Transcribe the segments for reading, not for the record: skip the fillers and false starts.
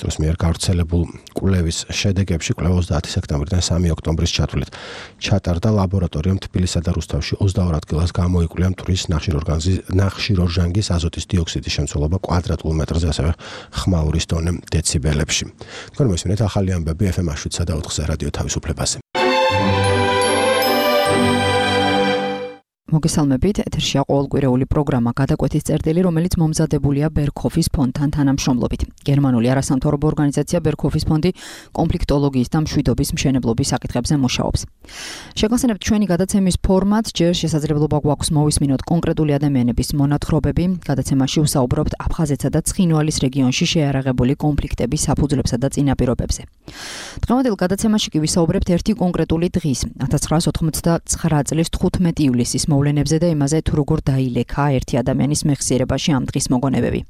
დროს მიერ გავრცელებულ კვლევის შედეგებში კვლევა 30 სექტემბრიდან 3 ოქტომბრის ჩათვლით ჩატარდა ლაბორატორიამ თბილისსა და რუსთავში 22 ადგილას გამოიკვლია მტვრის ნახშირორჟანგის აზოტის დიოქსიდის შემცველობა კვადრატულ მეტრზე, ასევე ხმაურის დონე დეციბელებში. თქვენ მოსმენთ ახალი ამბები FM 7-სა და 4-ზე რადიო თავისუფლებაზე. მოგესალმებით, ეთერშია ყოველკვირეული პროგრამა გადაკვეთის წერტილი, რომელიც მომზადებულია ბერქოფის ფონდთან თანამშრომლობით. გერმანული არასამთავრობო ორგანიზაცია ბერქოფის ფონდი კონფლიქტოლოგიის და მშვიდობის მშენებლობის საკითხებზე მუშაობს. შეგახსენებთ ჩვენი გადაცემის ფორმატ, ჯერ შესაძლებლობა გვაქვს მოვისმინოთ კონკრეტული ადამიანების მონათხრობები. გადაცემაში ვსაუბრობთ აფხაზეთსა და ცხინვალის რეგიონში შეიარაღებული კონფლიქტების საფუძვლებსა და წინაპირობებზე. დღევანდელ გადაცემაში კი ვისაუბრებთ ერთი კონკრეტული დღის, 1999 წლის 15 ივლისის მოვლენებზე და იმაზე, თუ როგორ დაილექა ერთი ადამიანის მეხსიერებაში ამ დღის მოგონებები,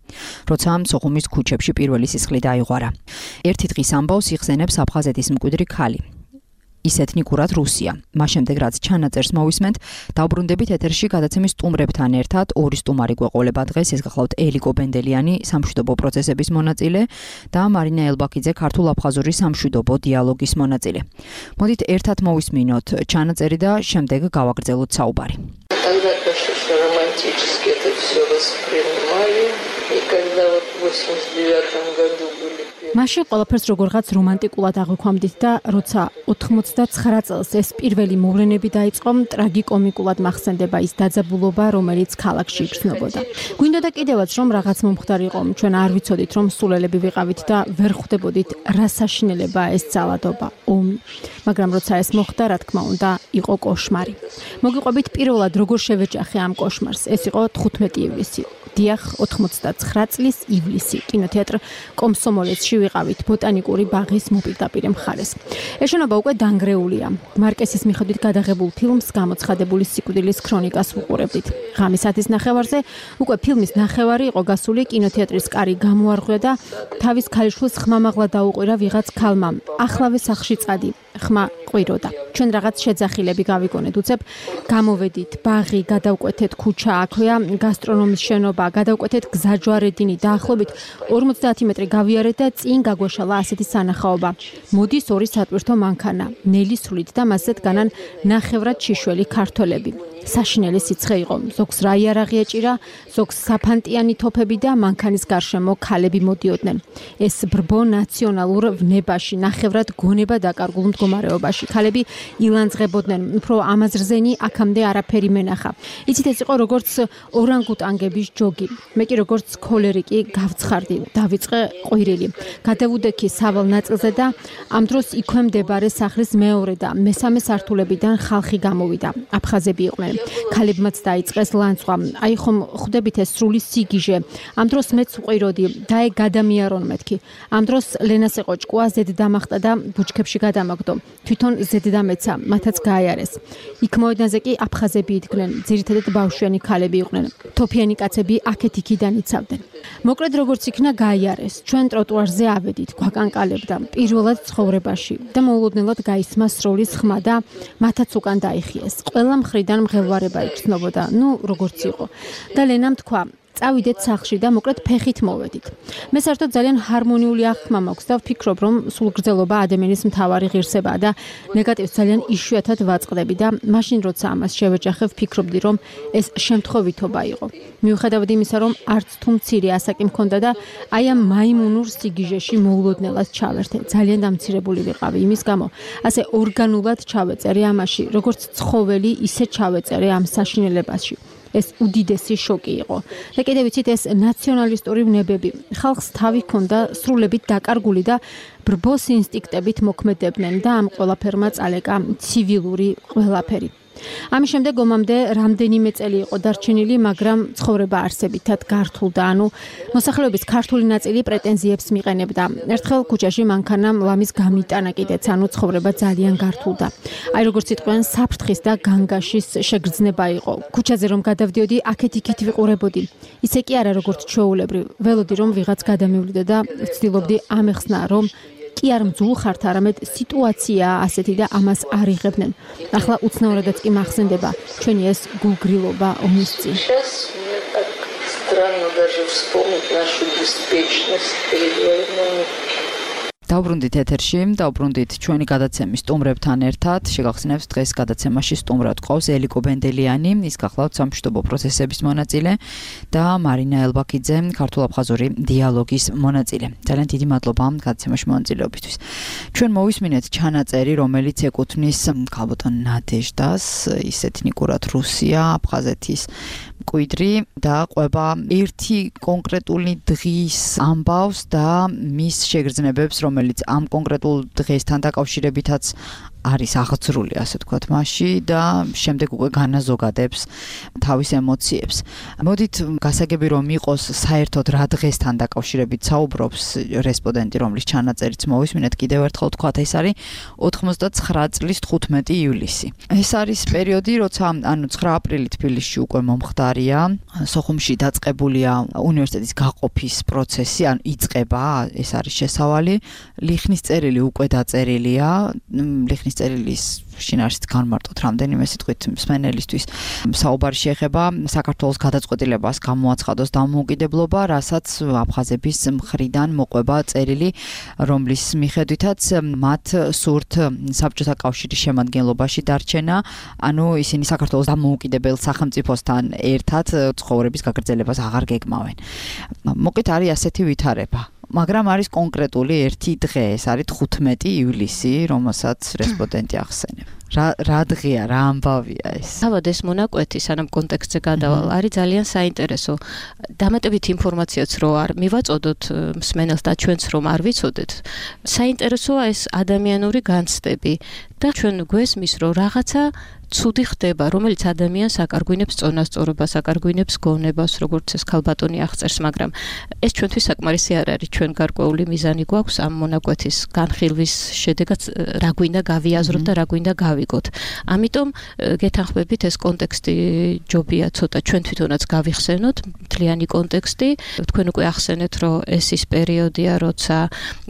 როცა სოხუმის ქუჩებში პირველი სისხლი დაიღვარა. ერთი დღის ამბავს იხსენებს აფხაზეთის მკვიდრი ქალი. ის ეთნიკურად რუსია. მას შემდეგ, რაც ჩანაწერს მოვისმენთ, დავბრუნდებით ეთერში გადაცემის სტუმრებთან ერთად. ორი სტუმარი გვეყოლება დღეს, ეს გახლავთ ელიკო ბენდელიანი, სამშვიდობო პროცესების მონაწილე და მარინა ელბაქიძე, ქართულ-აფხაზური სამშვიდობო დიალოგის მონაწილე. მოდით ერთად მოვისმინოთ ჩანაწერი და შემდეგ გავაგრძელოთ საუბარი. Тогда конечно романтически это все воспринимали, и когда вот в 89 году были მაშინ ყველაფერს როგორღაც რომანტიკულად აღვიქვამდით და როცა 99 წელს ეს პირველი მოვლენები დაიწყო, ტრაგიკომიკულად მახსენდება ის დაძაბულობა, რომელიც ქალაქში იგრძნობოდა. გვინდოდა კიდევაც რომ რაღაც მომხდარიყო, ჩვენ არ ვიცოდით რომ სულელები ვიყავით და ვერ ხვდებოდით რა საშინელებაა ეს ძალადობა, ომი. მაგრამ როცა ეს მოხდა, რა თქმა უნდა, იყო კოშმარი. მოგიყვებით პირველად როგორ შევეჯახე ამ კოშმარს. ეს იყო 15 ივლისი. დიახ, 99 წლის ივლისი. კინოთეატრ კომსომოლეცში ვიყავით ბოტანიკური ბაღის მოპირდაპირე მხარეს. ეს შენობა უკვე დანგრეულია. მარკესის მიხედვით გადაღებულ ფილმს გამოცხადებული სიკვდილის ქრონიკას ვუყურებდით. ღამის 10:30-ზე უკვე ფილმის ნახევარი იყო გასული, კინოთეატრის კარი გამოარღვია და თავის ქალიშვილს ხმამაღლა დაუყირა ვიღაც ქალმა. ახლავე სახლში წადი. ხმა ყვიროდა. ჩვენ რაღაც შეძახილები გავიგონეთ, უცებ გამოვედით, ბაღი, გადავკვეთეთ ქუჩა, აქვეა გასტრონომის შენობა, გადავკვეთეთ გზაჯვარედინი, დაახლოებით 50 მეტრი გავიარეთ და წინ გაგვეშალა ასეთი სანახაობა. მოდის ორი სატვირთო მანქანა, ნელი სრულით და მასზე დგანან ნახევრად შიშველი ქართველები. საშინელი სიცხე იყო, ზოგს რა იარაღი ეჭირა, ზოგს საფანტიანი თოფები და მანქანის გარშემო ქალები მოდიოდნენ. ეს ბრბო ნაციონალურ ვნებაში, ნახევრად გონება დაკარგულ მდგომარეობაში. ქალები ილანძღებოდნენ, უფრო ამაზრზენი აქამდე არაფერი მენახა. იცით, ეს იყო როგორც ორანგუტანგების ჯოგი. მე კი როგორც ქოლერიკი გავცხარდი, დავიწყე ყვირილი. გადავუდექი სავალ ნაწილზე და ამ დროს იქვე მდებარე სახლის მეორე და მესამე სართულებიდან ხალხი გამოვიდა. აფხაზები იყვნენ. ქალებმაც დაიწყეს ლანცვა. აი ხომ ხვდებით ეს სრული სიგიჟე. ამ დროს მეც ვყვიროდი, დაე გადამიარონ მეთქი. ამ დროს ლენას ეყოჭკვა, ზედ დამახტა და ბუჩქებში გადამაგდო. თვითონ ზედ დამეცა, მათაც გააიარეს. იქ მოედანზე კი აფხაზები იდგნენ, ძირითადად ბავშვიანი ქალები იყვნენ. თოფიანი კაცები აქეთ-იქიდან იცავდნენ. მოკლედ როგორც იქნა გაიარეს. ჩვენ ტროტუარზე ავედით, გვაკანკალებდა პირველად ცხოვრებაში და მოულოდნელად გაისმა სროლის ხმა და მათაც უკან დაიხიეს. ყველა მხრიდან მღელვარება იგრძნობოდა, როგორც იყო. და ლენამ თქვა, წავიდეთ სახლში და მოკლედ ფეხით მოვედით. მე საერთოდ ძალიან ჰარმონიული აღქმა მაქვს და ვფიქრობ, რომ სულგრძელობა ადამიანის მთავარი ღირსებაა და ნეგატივს ძალიან იშვიათად ვაწყდები და მაშინ როცა ამას შევეჯახე, ვფიქრობდი, რომ ეს შემთხვევითობა იყო. მიუხედავად იმისა, რომ არც თუ მცირე ასაკი მქონდა და აი ამ მაიმუნურ სიგიჟეში მოულოდნელად ჩავერთე. ძალიან დამცირებული ვიყავი იმის გამო. ასე ორგანულად ჩავეწერე ამაში, როგორც ცხოველი, ისე ჩავეწერე ამ საშინელებაში. ეს უდიდესი შოკი იყო. და კიდევ ვიცით, ეს ნაციონალისტური ვნებები. ხალხს თავი ჰქონდა სრულებით დაკარგული და ბრბოს ინსტინქტებით მოქმედებდნენ და ამ ყველაფერმა წალეკა ცივილური ყველაფერი. ამის შემდეგ ომამდე რამდენიმე წელი იყო დარჩენილი, მაგრამ ცხოვრება არსებითად გართულდა, მოსახლეობის ქართული ნაწილი პრეტენზიებს მიყენებდა. ერთხელ ქუჩაში მანქანამ ლამის გამიტანა კიდეც, ცხოვრება ძალიან გართულდა. აი როგორც იტყვიან, საფრთხის და განგაშის შეგრძნება იყო. ქუჩაზე რომ გადავდიოდი, აქეთ-იქით ვიყურებოდი. ისე კი არა როგორც ჩვეულებრივ, ველოდი რომ ვიღაც გადამივლიდო და ვცდილობდი ამეხსნა, რომ კი არ მძულ ხართ, არამედ სიტუაციაა ასეთი და ამას არ იღებდნენ. ახლა უცნაურადაც კი მახსენდება ჩვენი ეს გულგრილობა ომის წინ. Странно даже вспомнить нашу беспечность перед войной. დავბრუნდით ეთერში, დავბრუნდით ჩვენი გადაცემის სტუმრებთან ერთად. შეგახსენებთ, დღეს გადაცემაში სტუმრად ყავს ელიკო ბენდელიანი, ის გახლავთ სამშვიდობო პროცესების მონაწილე და მარინა ელბაქიძე, ქართულ-აფხაზური დიალოგის მონაწილე. ძალიან დიდი მადლობა გადაცემაში მონაწილეობისთვის. ჩვენ მოვისმინეთ ჩანაწერი, რომელიც ეკუთვნის ქალბატონ ნადეჟდას, ის ეთნიკურად რუსია, აფხაზეთის მკვიდრი და ყვება ერთი კონკრეტული დღის ამბავს და მის შეგრძნებებს, რომელიც ამ კონკრეტულ დღესთან დაკავშირებითაც არის აღძრული, ასე ვთქვათ, მასში და შემდეგ უკვე განაზოგადებს თავის ემოციებს. მოდით გასაგები რომ იყოს საერთოდ რა დღესთან დაკავშირებით საუბრობს რესპონდენტი, რომლის ჩანაწერიც მოვისმინეთ, კიდევ ერთხელ ვთქვათ, ეს არის 99 წლის 15 ივლისი. ეს არის პერიოდი, როცა 9 აპრილი თბილისში უკვე მომხდარია, სოხუმში დაწყებულია უნივერსიტეტის გაყოფის პროცესი, იწყება, ეს არის შესავალი. ლიხნის წერილი უკვე დაწერილია, ლიხნის წერილის შინაარსით განმარტოთ რამდენიმე სიტყვით მსმენელისთვის. საუბარი შეეხება საქართველოს გადაწყვეტილებას გამოაცხადოს დამოუკიდებლობა, რასაც აფხაზების მხრიდან მოყვება წერილი, რომლის მიხედვითაც მათ სურთ საბჭოთა კავშირის შემადგენლობაში დარჩენა, ანუ ისინი საქართველოს დამოუკიდებელ სახელმწიფოსთან ერთად ცხოვრების გაგრძელებას აღარ გეგმავენ. მოკლედ არის ასეთი ვითარება. მაგრამ არის კონკრეტული ერთი დღე, ეს არის 15 ივლისი, რომელსაც რესპონდენტი ახსენებს. რა დღეა, რა ამბავია ეს? თავად ეს მონაკვეთი, სანამ კონტექსტზე გადავალ, არის ძალიან საინტერესო. დამატებით ინფორმაციაც რო არ მივაწოდოთ მსმენელს და ჩვენც რომ არ ვიცოდეთ, საინტერესოა ეს ადამიანური განცდები და ჩვენ გვესმის, რომ რაღაცა ცუდი ხდება, რომელიც ადამიანს აკარგვინებს წონასწორობას, აკარგვინებს გონებას, როგორც ეს ქალბატონი აღწერს, მაგრამ ეს ჩვენთვის საკმარისი არ არის. ჩვენ გარკვეული მიზანი გვაქვს ამ მონაკვეთის განხილვის შედეგად, რა გვინდა გავიაზროთ და რა გვინდა გავიგოთ. ამიტომ გეთანხმებით, ეს კონტექსტი ჯობია ცოტა ჩვენ თვითონაც გავიხსენოთ, მთლიანი კონტექსტი. თქვენ უკვე ახსენეთ, რომ ეს ის პერიოდია, როცა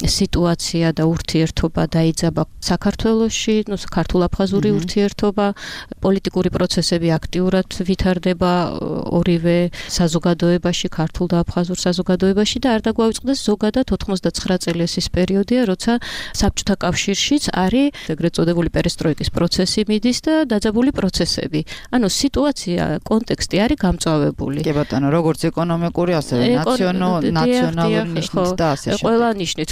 სიტუაცია და ურთიერთობა დაიძაბა საქართველოში, ქართულ-აფხაზური ურთიერთობა, პოლიტიკური პროცესები აქტიურად ვითარდება ორივე საზოგადოებაში, ქართულ და აფხაზურ საზოგადოებაში და არ დაგვავიწყდეს ზოგადად 99 წელი ეს პერიოდია, როცა საბჭოთა კავშირშიც არის ეგრეთ წოდებული პერესტროიკის პროცესი მიდის და დაძაბული პროცესები. ანუ სიტუაცია, კონტექსტი არის გამწვავებული. კი ბატონო, როგორც ეკონომიკური, ასევე ნაციონალური ნიშნით და ასე შემდეგ. ყველა ნიშნით,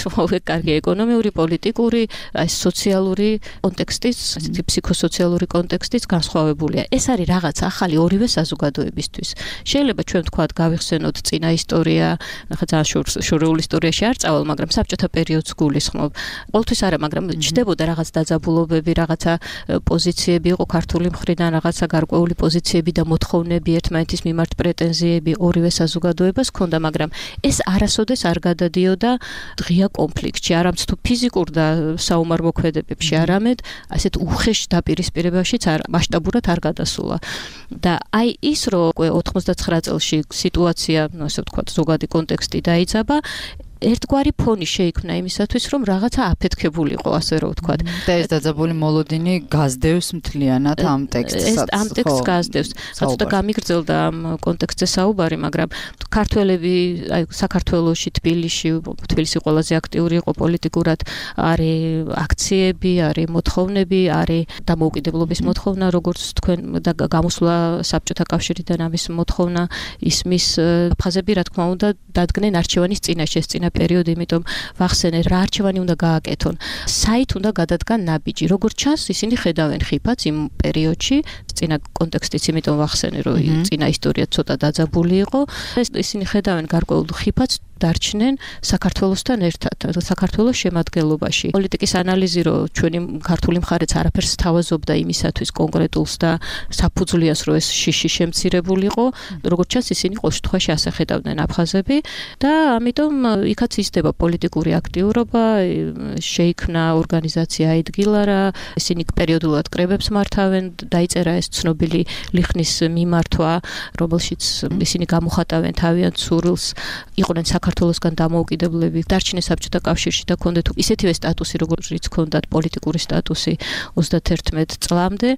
კარგი ეკონომიური, პოლიტიკური, სოციალური კონტექსტის, ასეთი ფსიქოსოციალური კონტექსტიც განსხვავებულია. ეს არის რაღაც ახალი ორივე საზოგადოებისთვის. შეიძლება ჩვენ ვთქვათ, გავიხსენოთ წინა ისტორია, ახლა ძალიან შორეული ისტორიაში არ წავალ, მაგრამ საბჭოთა პერიოდს გულისხმობ. ყოველთვის არა, მაგრამ ჩნდებოდა რაღაც დაძაბულობები, რაღაცა პოზიციები იყო ქართული მხრიდან, რაღაცა გარკვეული პოზიციები და მოთხოვნები, ერთმანეთის მიმართ პრეტენზიები ორივე საზოგადოებას ჰქონდა, მაგრამ ეს არასოდეს არ გადადიოდა ღია კონფლიქტში, არამც თუ ფიზიკურ და საომარ მოქმედებებში, არამედ ასეთ უხეშ დაპირისპირებაშიც მასშტაბურად არ გადასულა. და აი ის, რომ 99 წელში სიტუაცია, ასე ვთქვათ, ზოგადი კონტექსტი დაიძაბა, ერთგვარი ფონი შეიქმნა იმისათვის, რომ რაღაცა აფეთქებულიყო, ასე რომ ვთქვათ. და ეს დაძაბული მოლოდინი გაზდევს მთლიანად ამ ტექსტსაც. ამ ტექსტს გაზდევს. ცოტა გამიგრძელდა ამ კონტექსტზე საუბარი, მაგრამ ქართველები, აი საქართველოში, თბილისი ყველაზე აქტიური იყო პოლიტიკურად, არის აქციები, არის მოთხოვნები, არის დამოუკიდებლობის მოთხოვნა, როგორც თქვენ და გამოსვლა საბჭოთა კავშირიდან ამის მოთხოვნა ისმის. აფხაზები, რა თქმა უნდა, დადგნენ არჩევანის წინაშე, წინა პერიოდი, იმიტომ ვახსენე, რა არჩევანი უნდა გააკეთონ. საით უნდა გადადგან ნაბიჯი. როგორც ჩანს, ისინი ხედავენ ხიფათს იმ პერიოდში, წინა კონტექსტიც, იმიტომ ვახსენე, რომ წინა ისტორია ცოტა დაძაბული იყო. ისინი ხედავენ გარკვეულ ხიფათს დარჩნენ საქართველოსთან ერთად, საქართველოს შემადგენლობაში. პოლიტიკის ანალიზი, რომ ჩვენი ქართული მხარეც არაფერს თავაზობდა იმისათვის კონკრეტულს და საფუძვლიას, რომ ეს შიში შემცირებულიყო, როგორც ჩანს, ისინი ყოველ შემთხვევაში ასე ხედავდნენ აფხაზები და ამიტომ იქაც ისდება პოლიტიკური აქტიურობა, შეიქმნა ორგანიზაცია აიდგილარა, ისინი პერიოდულად კრებებს მართავენ, დაიწერა ეს ცნობილი ლიხნის მიმართვა, რომელშიც ისინი გამოხატავენ თავიანთ სურვილს, იყვნენ საქართველოსგან დამოუკიდებლები დარჩნენ საბჭოთა კავშირში და ჰქონდათ ისეთივე სტატუსი, როგორიც ჰქონდათ პოლიტიკური სტატუსი 31 წლამდე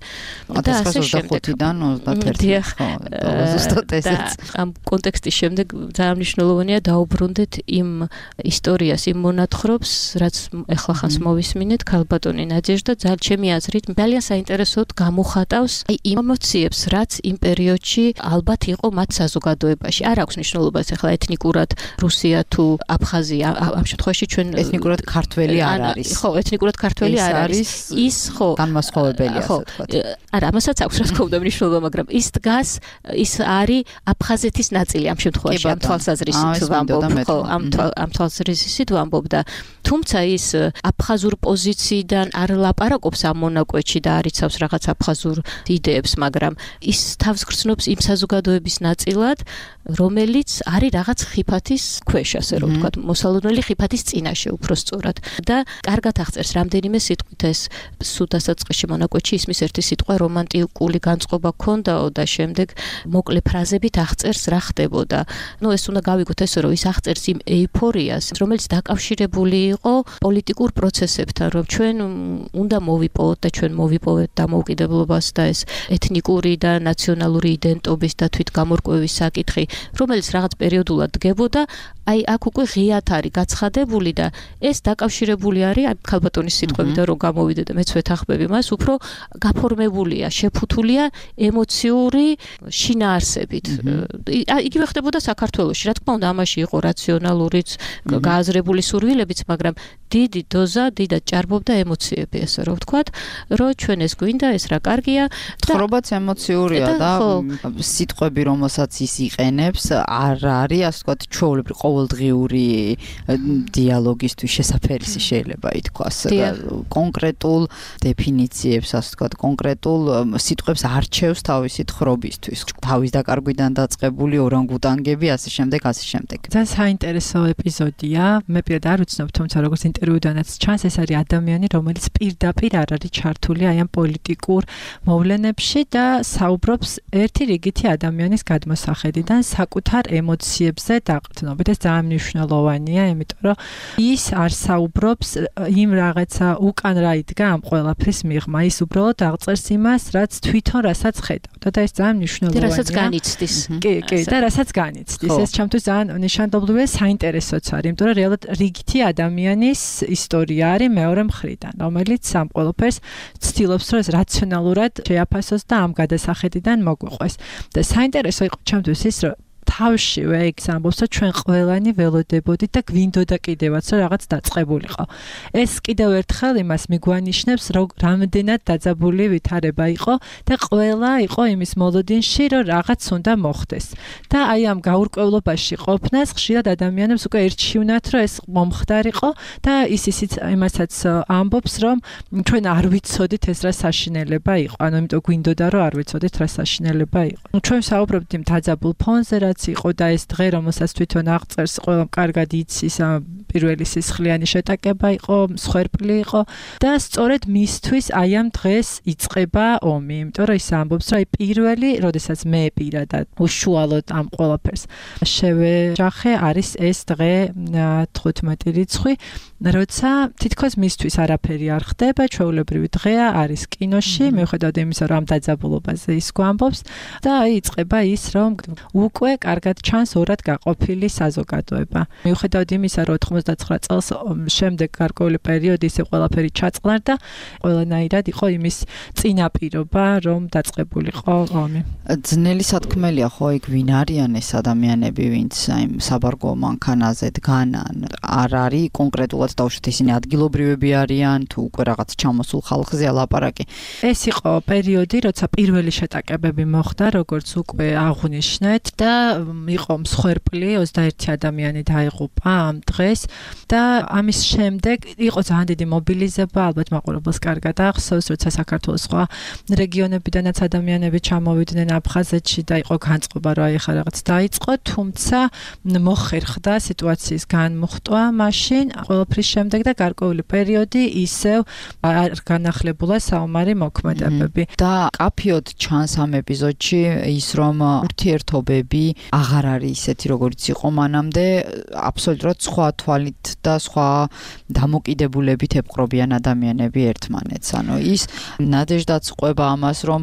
და ასე შემდეგ. 1925-დან 31 ამ კონტექსტის შემდეგ ძალიან მნიშვნელოვანია დაუბრუნდეთ იმ ისტორიას, იმ მონათხრობს, რაც ეხლა ხანს მოვისმინეთ, ქალბატონი ნადეჟდა ჩემი აზრით ძალიან საინტერესოდ გამოხატავს იმ ემოციებს, რაც იმ პერიოდში ალბათ იყო მათ საზოგადოებაში. არ აქვს მნიშვნელობას ეხლა ეთნიკურად რუსია თუ აფხაზია, ამ შემთხვევაში ჩვენ ეთნიკურად ქართველი არ არის. ხო, ეთნიკურად ქართველი არ არის. ის ხო განმასხვავებელია, ასე ვთქვათ. არა, ამასაც აქვს რა თქმა უნდა მნიშვნელობა, მაგრამ ის დგას, ის არის აფხაზეთის ნაწილი ამ შემთხვევაში, ამ თვალსაზრისით ვამბობ, ხო, ამ თვალსაზრისით ვამბობ და თუმცა ის აფხაზურ პოზიციიდან არ ლაპარაკობს ამ მონაკვეთში და არ იცავს რაღაც აფხაზურ იდეებს, მაგრამ ის თავს გრძნობს იმ საზოგადოების ნაწილად, რომელიც არის რაღაც ხიფათის ქვეშ, ასე რომ ვთქვათ, მოსალოდნელი ხიფათის წინაშე უფრო სწორად. და კარგად აღწერს რამდენიმე სიტყვით ეს სუდასაწყისში მონაკვეთში ისმის ერთი სიტყვა რომანტიკული განწყობა ქონდაო და შემდეგ მოკლე ფრაზებით აღწერს რა ხდებოდა. ეს უნდა გავიგოთ ესე რომ ის აღწერს იმ ეიფორიას, რომელიც დაკავშირებული იყო პოლიტიკურ პროცესებთან, რომ ჩვენ უნდა მოვიპოვოთ და ჩვენ მოვიპოვეთ დამოუკიდებლობას და ეს ეთნიკური და ნაციონალური იდენტობის და თვითგამორკვევის საკითხი, რომელიც რაღაც პერიოდულად დგებოდა, აი აქ უკვე ღიად არის გაცხადებული და ეს დაკავშირებული არის ქალბატონის სიტყვებიდან რომ გამოვიდე და მეც ვეთანხმები მას, უფრო გაფორმებულია, შეფუთულია ემოციური შინაარსებით. იგივე ხდებოდა საქართველოში, რა თქმა უნდა, ამაში იყო რაციონალურიც, გააზრებული სურვილებიც, მაგრამ დიდი დოზა, დიდად ჭარბობდა ემოციები, ასე რომ ვთქვათ, რომ ჩვენ ეს გვინდა, ეს რა კარგია. ცხოვრებაც ემოციურია და სიტყვები, რომელსაც ის იყენებს, არ არის, ასე ვთქვათ, ჩვეულებრივი ყოველდღიური დიალოგისთვის შესაძფერისი შეიძლება ითქვას. კონკრეტულ დეფინიციებს, ასე ვთქვათ, კონკრეტულ სიტყვებს არჩევს თავისი თხრობისთვის. თავის დაკარგვიდან დაწყებული ორანგუტანგები, ასე შემდეგ. ძალიან საინტერესო ეპიზოდია. მე პირადად არ ვიცნობ, თუმცა როგორც ინტერვიუდანაც ჩანს, ეს არის ადამიანი, რომელიც პირდაპირ არ არის ჩართული აი ამ პოლიტიკურ მოვლენებში და საუბრობს ერთი რიგითი ადამიანის გადმოსახედიდან საკუთარ ემოციებზე დაყრდნობით. ეს ძალიან მნიშვნელოვანია, იმიტომ რომ ის არ საუბრობს იმ რაღაცა უკან რა იდგა ამ ყველაფრის მიღმა. ის უბრალოდ აღწერს იმას, რაც თვითონ რასაც ხედავდა და ეს ძალიან მნიშვნელოვანია. რასაც განიცდის. კი, და რასაც განიცდის. ეს ჩემთვის ძალიან ნიშანდობლივია, საინტერესოც არის, იმიტომ რომ რეალურად რიგითი ადამიანის ისტორია არის მეორე მხრიდან, რომელიც ამ ყველაფერს ცდილობს, რომ ეს რაციონალურად შეაფასოს და ამ გადასახედიდან მოგვიყვეს. და საინტერესო იყო ჩემთვის ის, რომ თავშივე ეგ ამბობს, რომ ჩვენ ყველანი ველოდებოდით და გვინდოდა კიდევაც რომ რაღაც დაწყებულიყო. ეს კიდევ ერთხელ იმას მიგვანიშნებს, რომ რამდენად დაძაბული ვითარება იყო და ყველა იყო იმის მოლოდინში, რომ რაღაც უნდა მოხდეს. და აი ამ გაურკვევლობაში ყოფნას ხშირად ადამიანებს უკვე ერჩივნათ, რომ ეს მომხდარიყო და ისიც იმასაც ამბობს, რომ ჩვენ არ ვიცოდით ეს რა საშინელება იყო. ანუ იმიტომ გვინდოდა რომ არ ვიცოდით რა საშინელება იყო. ჩვენ საუბრობთ იმ დაძაბულ ფონზე, რაც იყო და ეს დღე, რომელსაც თვითონ აღწერს, ყველამ კარგად იცის, პირველი სისხლიანი შეტაკება იყო, მსხვერპლი იყო და სწორედ მისთვის აი ამ დღეს იწყება ომი, იმიტომ რომ ის ამბობს, რომ აი პირველი, როდესაც მე პირადად უშუალოდ ამ ყველაფერს შევეჯახე, არის ეს დღე 15 რიცხვი, როცა თითქოს მისთვის არაფერი არ ხდება, ჩვეულებრივი დღეა, არის კინოში, მიუხედავად იმისა, რომ ამ დაძაბულობაზე ის გვამბობს და აი იწყება ის, რომ უკვე კარგად ჩანს ორად გაყოფილი საზოგადოება. მიუხედავად იმისა, რომ 99 წელს შემდეგ გარკვეული პერიოდი ისე ყველაფერი ჩაწყნარდა, ყველანაირად იყო იმის წინაპირობა, რომ დაწყებულიყო ომი. ძნელი სათქმელია ხო იქ ვინ არიან ეს ადამიანები, ვინც აი საბარგო მანქანაზე დგანან, არ არის კონკრეტულად დავუშვით ისინი ადგილობრივები არიან, თუ უკვე რაღაც ჩამოსულ ხალხზეა ლაპარაკი. ეს იყო პერიოდი, როცა პირველი შეტაკებები მოხდა, როგორც უკვე აღვნიშნეთ და იყო მსხვერპლი 21 ადამიანი დაიღუპა ამ დღეს და ამის შემდეგ იყო ძალიან დიდი მობილიზება, ალბათ მაყურებელს კარგად ახსოვს, როცა საქართველოს სხვა რეგიონებიდანაც ადამიანები ჩამოვიდნენ აფხაზეთში და იყო განწყობა, რომ აი ხა რაღაც დაიწყო, თუმცა მოხერხდა სიტუაციის განმუხტვა მაშინ ყველაფრის შემდეგ და გარკვეული პერიოდი ისევ არ განახლებულა საომარი მოქმედებები. და კაფიოდ ჩანს ამ ეპიზოდში ის, რომ ურთიერთობები აღარ არის ისეთი როგორც იყო მანამდე, აბსოლუტურად სხვა თვალით და სხვა დამოკიდებულებით ეპყრობიან ადამიანები ერთმანეთს. ანუ ის ნადეჟდაც ყვება ამას, რომ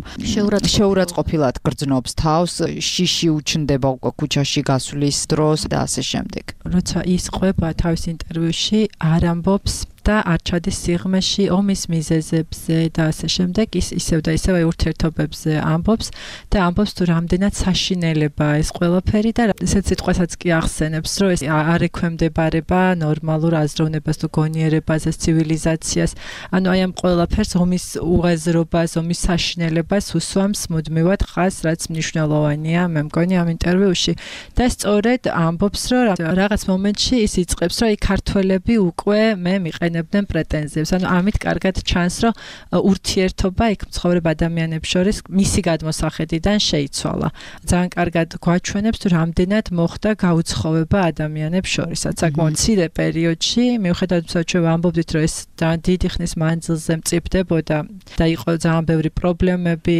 შეურაცხყოფილად გრძნობს თავს, შიში უჩნდება უკვე ქუჩაში გასვლის დროს და ასე შემდეგ. როცა ის ყვება თავის ინტერვიუში არ ამბობს და არ ჩადის სიღრმეში ომის მიზეზებზე და ასე შემდეგ, ის ისევ და ისევ ურთიერთობებზე ამბობს და ამბობს თუ რამდენად საშინელებაა ეს ყველაფერი და ესეც სიტყვასაც კი ახსენებს, რომ ეს არ ექვემდებარება ნორმალურ აზროვნებას თუ გონიერებაზე, ცივილიზაციას. ანუ აი ამ ყველაფერს ომის უღაზრობას, ომის საშინელებას უსვამს მუდმივად ხაზს, რაც მნიშვნელოვანია, მე მგონი ამ ინტერვიუში. და სწორედ ამბობს, რომ რაღაც მომენტში ის იწყებს, რომ აი ქართველები უკვე მე მიყენებდნენ პრეტენზიებს. ანუ ამით კარგად ჩანს, რომ ურთიერთობა იქ მცხოვრებ ადამიანებს შორის მისი გადმოსახედიდან შეიცვალა. ძალიან კარგად გვაჩვენებს, თუ რამდენად მოხდა გაუცხოვება ადამიანებს შორისაც. საკმაოდ მცირე პერიოდში, მიუხედავად იმისა, რომ ვამბობდით, რომ ეს ძალიან დიდი ხნის მანძილზე მწიფდებოდა და იყო ძალიან ბევრი პრობლემები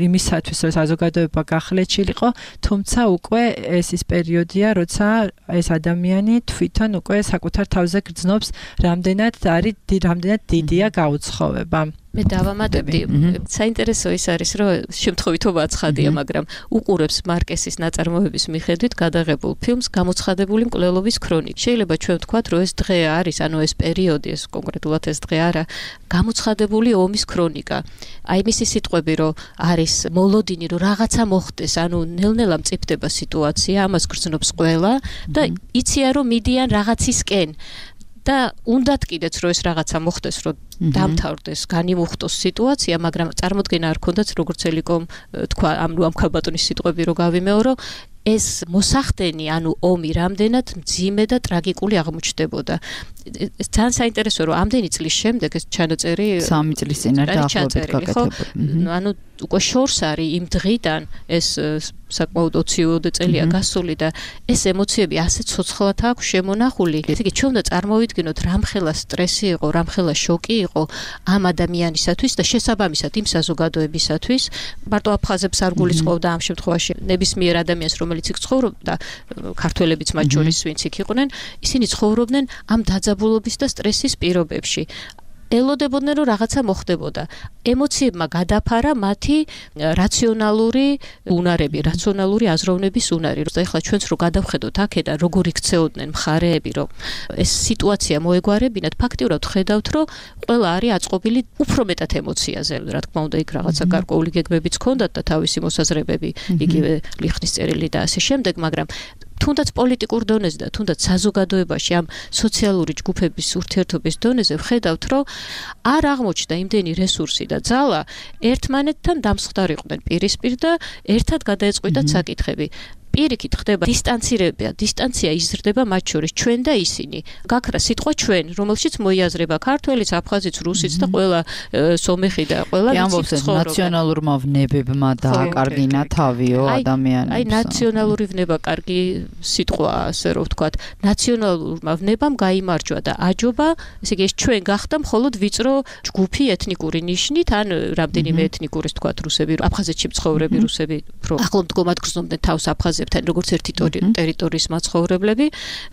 იმისათვის, რომ საზოგადოება გახლეჩილიყო, თუმცა უკვე ეს ის პერიოდია, როცა ეს ადამიანი თვითონ უკვე საკუთარ თავზე გრძნობს, რამდენად დიდია გაუცხოვება. მე დავამატებდი. საინტერესო ის არის, რომ შემთხვევითობა აცხადია, მაგრამ უყურებს მარკესის ნაწარმოების მიხედვით გადაღებულ ფილმს გამოცხადებული მკვლელობის ქრონიკა. შეიძლება ჩვენ ვთქვათ, რომ ეს დღე არის, ანუ ეს პერიოდი, ეს კონკრეტულად ეს დღე არა, გამოცხადებული ომის ქრონიკა. აი მისი სიტყვები, რომ არის მოლოდინი, რომ რაღაცა მოხდეს, ანუ ნელ-ნელა მწიფდება სიტუაცია, ამას გრძნობს ყველა და იციან, რომ მიდიან რაღაცისკენ. და უნდათ კიდეც რომ ეს რაღაცა მოხდეს, რომ დამთავრდეს, განიმუხტოს სიტუაცია, მაგრამ წარმოდგენა არ ქონდათ, როგორც ელიკომ თქვა, ამ ქალბატონის სიტყვები რო გავიმეორო, ეს მოსახდენი, ანუ ომი რამდენად მძიმე და ტრაგიკული აღმოჩნდებოდა. ეს ძალიან საინტერესო, რომ ამდენი წლის შემდეგ ეს ჩანაწერი 3 წლის წინ არ დაახლოებით გაკეთებული. ანუ უკვე შორს არის იმ დღიდან ეს საკმაოდ 20-ოდე წელია გასული და ეს ემოციები ასე ცოცხლად აქვს შემონახული. ესე იგი, ჩვენ უნდა წარმოვიდგინოთ, რამხელა სტრესი იყო, რამხელა შოკი იყო ამ ადამიანისათვის და შესაბამისად იმ საზოგადოებისათვის. მარტო აფხაზებს არ გულისხმობდა ამ შემთხვევაში ნებისმიერ ადამიანს, რომელიც იქ ცხოვრობდა, ქართველებიც მათ შორის, ვინც იქ იყვნენ, ისინი ცხოვრობდნენ ამ დაძაბულობის და სტრესის პირობებში. ელოდებოდნენ, რომ რაღაცა მოხდებოდა. ემოციებმა გადაფარა მათი რაციონალური უნარები, რაციონალური აზროვნების უნარი. ეხლა ჩვენც რო გადავხედოთ აქედან, როგორ იქცეოდნენ მხარეები, რომ ეს სიტუაცია მოეგვარებინათ, ფაქტიურად ხედავთ, რომ ყველა არის აწყობილი უფრო მეტად ემოციაზე. რა თქმა უნდა, იქ რაღაცა გარკვეული გეგმებიც ჰქონდათ და თავისი მოსაზრებები, იგივე ლიხნის წერილი და ასე შემდეგ, მაგრამ თუნდაც პოლიტიკურ დონეზე და თუნდაც საზოგადოებაში ამ სოციალური ჯგუფების ურთიერთობის დონეზე ვხედავთ, რომ არ აღმოჩნდა იმდენი რესურსი და ძალა ერთმანეთთან დამსხდარიყვნენ პირისპირ და ერთად გადაეწყვიტათ საკითხები. პირიქით ხდება დისტანცია იზრდება მათ შორის, ჩვენ და ისინი. გაქრა სიტყვა ჩვენ, რომელშიც მოიაზრება ქართველიც, აფხაზიც, რუსიც და ყველა სომეხი და ყველა ვიცით ცხოვრობა. ნაციონალურმა ვნებებმა დააკარგინა თავიო ადამიანებს. აი ნაციონალური ვნება კარგი სიტყვაა, ასე რომ ვთქვათ. ნაციონალურმა ვნებამ გაიმარჯვა და აჯობა, ესე იგი ეს ჩვენ გახდა მხოლოდ ვიწრო ჯგუფი ეთნიკური ნიშნით, ან რამდენიმე ეთნიკური, ვთქვათ, რუსები, აფხაზეთში მცხოვრები რუსები, უფრო ახლომდგომად გრძნობდნენ თავს აფხაზებს როგორც ერთი ტერიტორიის მაცხოვრებლები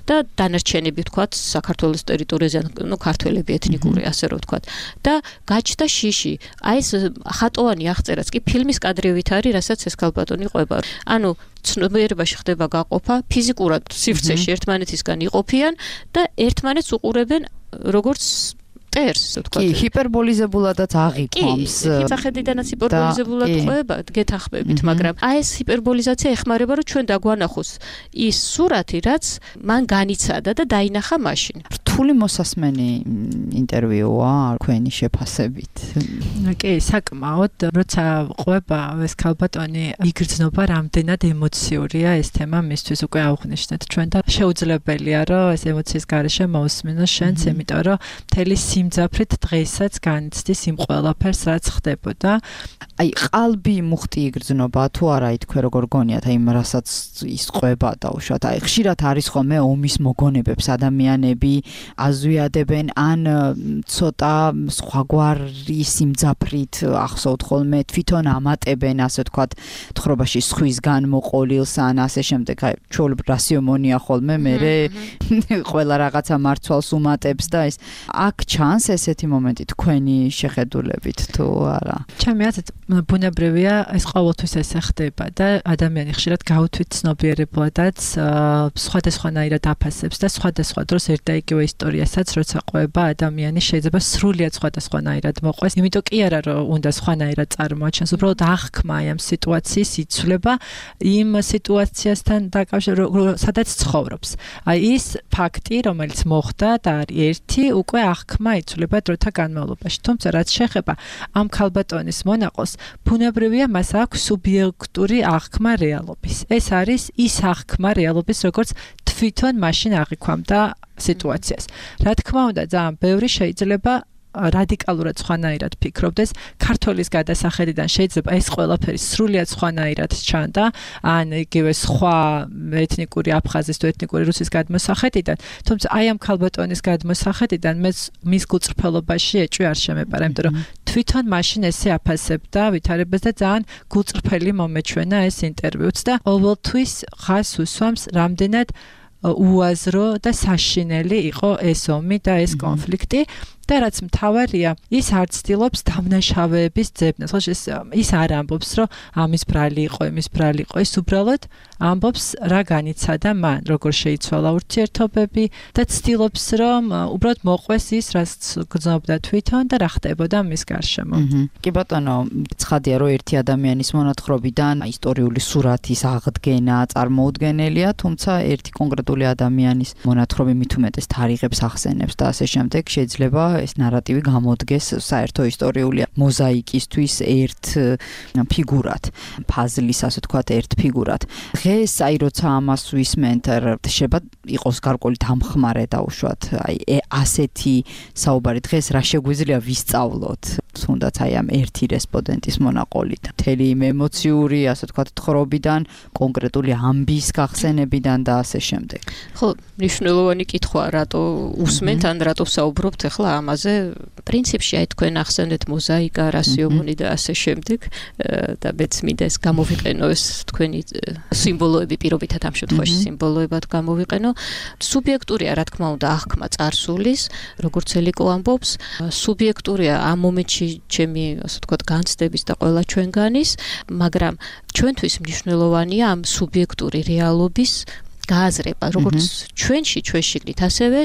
და დანარჩენები ვთქვათ საქართველოს ტერიტორიაზე, ну ქართველები ეთნიკური, ასე რომ ვთქვათ. და გაჩნდა შიში. აი ეს ხატოვანი აღწერაც კი ფილმის კადრებით არის, რასაც ეს ქალბატონი ყვება. ანუ ცნობიერებაში ხდება გაყოფა, ფიზიკურად სივრცეში ერთმანეთისგან იყოფიან და ერთმანეთს უყურებენ როგორც ტერს, ვთქვათ. კი, ჰიპერბოლიზებულადაც აღიქვამს. კი, სახედიდანაც ჰიპერბოლიზებულად ყვება, გეთახმებით, მაგრამ აი ეს ჰიპერბოლიზაცია ეხმარება, რომ ჩვენ დაგვანახოს ის სურათი, რაც მან განიცადა და დაინახა მაშინ. რთული მოსასმენი ინტერვიუა თქვენი შეფასებით. კი, საკმაოდ, როცა ყვება ეს ქალბატონი, იგრძნობა რამდენად ემოციურია ეს თემა მისთვის უკვე აღვნიშნეთ ჩვენ და შეუძლებელია, რომ ეს ემოციის გარეშე მოусმინოს შენც, იმიტომ რომ მთელი სიმძაფრით დღესაც განიცდის იმ ყველაფერს, რაც ხდებოდა. აი, ყალბი მუხტი იგრძნობა თუ არა, თქვენ როგორ გონიათ, აი, რასაც ის ყვება და უშუალოდ აი, ხშირად არის ხოლმე ომის მოგონებებს ადამიანები აზვიადებენ ან ცოტა სხვაგვარი სიმძაფრით ახსოვთ ხოლმე თვითონ ამატებენ ასე ვთქვათ თხრობაში სხვისგან მოყოლილს ან ასე შემდეგ აი ჩვეულებრივ რასიომონია ხოლმე მე ყველა რაღაცა მარცვალს უმატებს და ეს აქ ჩანს ესეთი მომენტი თქვენი შეხედულებით თუ არა ჩემი აზრით ბუნებრივია ეს ყოველთვის ესე ხდება და ადამიანი ხშირად გაუთვით ცნობიერებლადაც სხვადასხვანაირად აფასებს და სხვადასხვა დროს ერთ და იგივე ისტორიასაც როცა ყვება ადამიანი შეიძლება სრულიად სხვადასხვანაირად მოყვეს იმიტომ კი არა რომ უნდა სხვანაირად წარმოაჩენს უბრალოდ აღქმა ამ სიტუაციის იცვლება იმ სიტუაციასთან დაკავშირებით სადაც ცხოვრობს აი ის ფაქტი რომელიც მოხდა და არის ერთი უკვე აღქმა იცვლება დროთა განმავლობაში თუმცა რაც შეეხება ამ ქალბატონის მონაყოს ბუნებრივია მას აქვს სუბიექტური აღქმა რეალობის ეს არის ის აღქმა რეალობის როგორც თვითონ მაშინ აღიქვამდა სიტუაციას რა თქმა უნდა ძალიან ბევრი შეიძლება რადიკალურად სხვანაირად ფიქრობდეს ქართველის გადასახედიდან შეიძლება ეს ყველაფერი სრულიად სხვანაირად ჩანდა ან იგივე სხვა ეთნიკური აფხაზის თუ ეთნიკური რუსის გადმოსახედიდან თუმცა აი ამ ქალბატონის გადმოსახედიდან მის გულწრფელობაში ეჭვი არ შემეპარა იმიტომ რომ თვითონ მაშინ ესე აფასებდა ვითარებას და ძალიან გულწრფელი მომეჩვენა ეს ინტერვიუც და ყოველთვის ხას უსვამს რამდენად უაზრო და საშინელი იყო ეს ომი და ეს კონფლიქტი და რაც მთავარია ის არ ცდილობს დამნაშავეების ძებნას ის არ ამბობს რომ ამის ბრალი იყო იმის ბრალი იყო ის უბრალოდ ამბობს რა განიცადა მან როგორ შეიცვალა ურთიერთობები და ცდილობს რომ უბრალოდ მოყვეს ის რაც გრძნობდა თვითონ და რა ხდებოდა მის გარშემო კი ბატონო ცხადია რომ ერთი ადამიანის მონათხრობიდან ისტორიული სურათის აღდგენა წარმოუდგენელია თუმცა ერთი კონკრეტული ადამიანის მონათხრობი მით უმეტეს თარიღებს ახსენებს და ასე შემდეგ შეიძლება ეს ნარატივი გამოდგეს საერთო ისტორიული მოზაიკისთვის ერთ ფიგურად, ფაზლის ასე ვთქვათ, ერთ ფიგურად. დღეს აი როცა ამას ვისმენთ, შეიძლება იყოს გარკვეული დამხმარე დაუშვათ, აი ასეთი საუბარი დღეს რა შეგვიძლია ვისწავლოთ, თუნდაც აი ამ ერთი რესპონდენტის მონაყოლით. მთელი იმ ემოციური, ასე ვთქვათ, თხრობიდან, კონკრეტული ამბის გახსენებიდან და ასე შემდეგ. ხო, მნიშვნელოვანი კითხვა, რატო უსმენთ ან რატო საუბრობთ ახლა ამაზე? პრინციპში აი თქვენ ახსენეთ მოზაიკა, რასიომონი და ასე შემდეგ და მეც მინდა ეს გამოვიყენო ეს თქვენი სიმბოლოები პირობითად ამ შემთხვევაში სიმბოლოებად გამოვიყენო. სუბიექტურია, რა თქმა უნდა, აღქმა წარსულის, როგორც ელიკო ამბობს, სუბიექტურია ამ მომენტში ჩემი, ასე ვთქვათ, განცდების და ყველა ჩვენგანის, მაგრამ ჩვენთვის მნიშვნელოვანია ამ სუბიექტური რეალობის გააზრება, როგორც ჩვენში, ჩვენ შიგნით, ასევე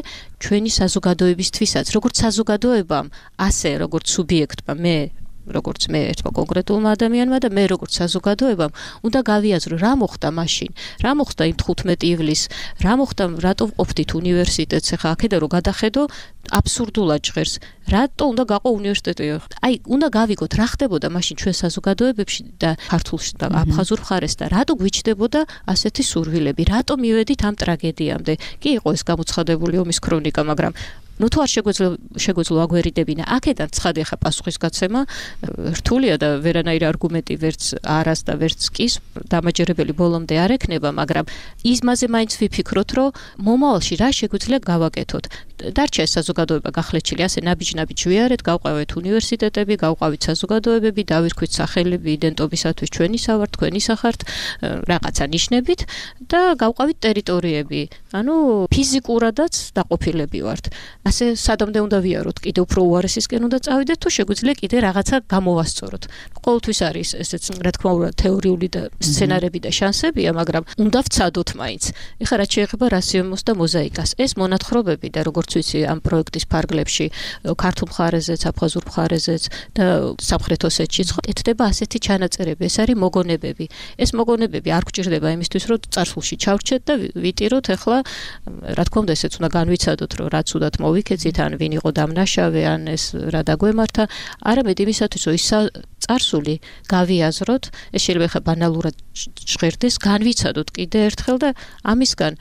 ჩვენი საზოგადოებისთვისაც, როგორც საზოგადოებამ, ასე როგორც სუბიექტმა, როგორც მე ერთმა კონკრეტულმა ადამიანმა და მე როგორც საზოგადოებამ უნდა გავიაზრო რა მოხდა მაშინ, რა მოხდა იმ 15 ივლისს, რა მოხდა, რატო ვყოფდით უნივერსიტეტს, ახლა აქედა რომ გადახედო, აბსურდულად ჟღერს, რატო უნდა გაყო უნივერსიტეტი? აი, უნდა გავიგოთ რა ხდებოდა მაშინ ჩვენ საზოგადოებებში და ქართულში და აფხაზურ მხარეს და რატო გვიჩნდებოდა ასეთი სურვილები, რატო მივედით ამ ტრაგედიამდე? კი იყო ეს გამოცხადებული ომის ქრონიკა, მაგრამ თუ არ შეგვეძლო აგვერიდებინა, აქედან ცხადი ხა პასუხისგაცემა რთულია და ვერანაირი არგუმენტი ვერც არას და ვერც კის დამაჯერებელი ბოლომდე არ ექნება, მაგრამ იმაზე მაინც ვიფიქროთ, რომ მომავალში რა შეგვიძლია გავაკეთოთ. დარჩა ეს საზოგადოება გახლეჩილი, ასე ნაბიჯ-ნაბიჯ ვიარეთ, გავყავეთ უნივერსიტეტები, გავყავით საზოგადოებები, დავირქვით სახელები იდენტობისათვის ჩვენისა ვართ, თქვენისა ხართ, რაღაცა ნიშნებით და გავყავით ტერიტორიები. ანუ ფიზიკურადაც დაყოფილები ვართ. ასე სადამდე უნდა ვიაროთ, კიდე უფრო უარესისკენ უნდა წავიდეთ, თუ შეგვიძლია კიდე რაღაცა გამოვასწოროთ. ყოველთვის არის ესეც, რა თქმა უნდა, თეორიული და სცენარები და შანსებია, მაგრამ უნდა ვცადოთ მაინც. ეხლა რაც შეეხება რასიომოს და მოზაიკას, ეს მონათხრობები და როგორც ვიცი, ამ პროექტის ფარგლებში, ქართულ მხარეზეც, აფხაზურ მხარეზეც და სამხრეთ ოსეთშიც ეთდება ასეთი ჩანაწერები, ეს არის მოგონებები. ეს მოგონებები არ გვჭირდება იმისთვის, რომ წარსულში ჩავრჩეთ და ვიტიროთ, ეხლა რა თქმა უნდა, ესეც უნდა განვიცადოთ, რომ რაც უდათ მოვიქეცით, ან ვინ იყო დამნაშავე, ან ეს რა დაგვემართა, არამედ იმისათვის, რომ ის წარსული გავიაზროთ, ეს შეიძლება ხა ბანალურად ჟღერდეს, განვიცადოთ კიდე ერთხელ და ამისგან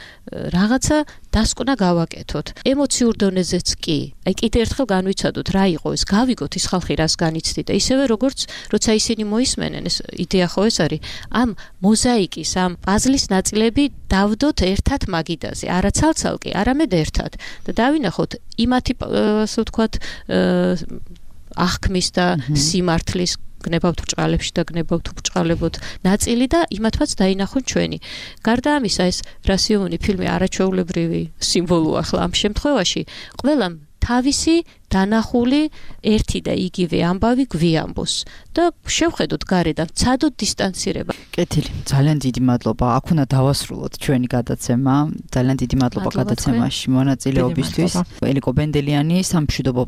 რაღაცა დასკვნა გავაკეთოთ. ემოციურ დონეზეც კი. აი კიდე ერთხელ განვიცადოთ რა იყო ეს, გავიგოთ ის ხალხი რას განიცდიდა. ისევე როგორც როცა ისინი მოისმენენ, ეს იდეა ხო ეს არის, ამ მოზაიკის, ამ პაზლის ნაწილები დავდოთ ერთად მაგიდაზე, არა ცალ-ცალკე, არამედ ერთად. და დავინახოთ იმათი ასე ვთქვათ აღქმის და სიმართლის გნებავთ ბრჭყალებში და გნებავთ ბრჭყალებოთ ნაწილი და იმათაც დაინახოთ ჩვენი. გარდა ამისა, ეს რასიოვანი ფილმი არაჩვეულებრივი სიმბოლოა ახლა ამ შემთხვევაში, ყველამ თავისი დანახული ერთი და იგივე ამბავი გვიამბოს და შევხედოთ გარედან, ცადოთ დისტანცირება. კეთილი, ძალიან დიდი მადლობა. აქ უნდა დავასრულოთ ჩვენი გადაცემა. ძალიან დიდი მადლობა გადაცემაში მონაწილეობისთვის. ელიკო ბენდელიანი, სამშვიდობო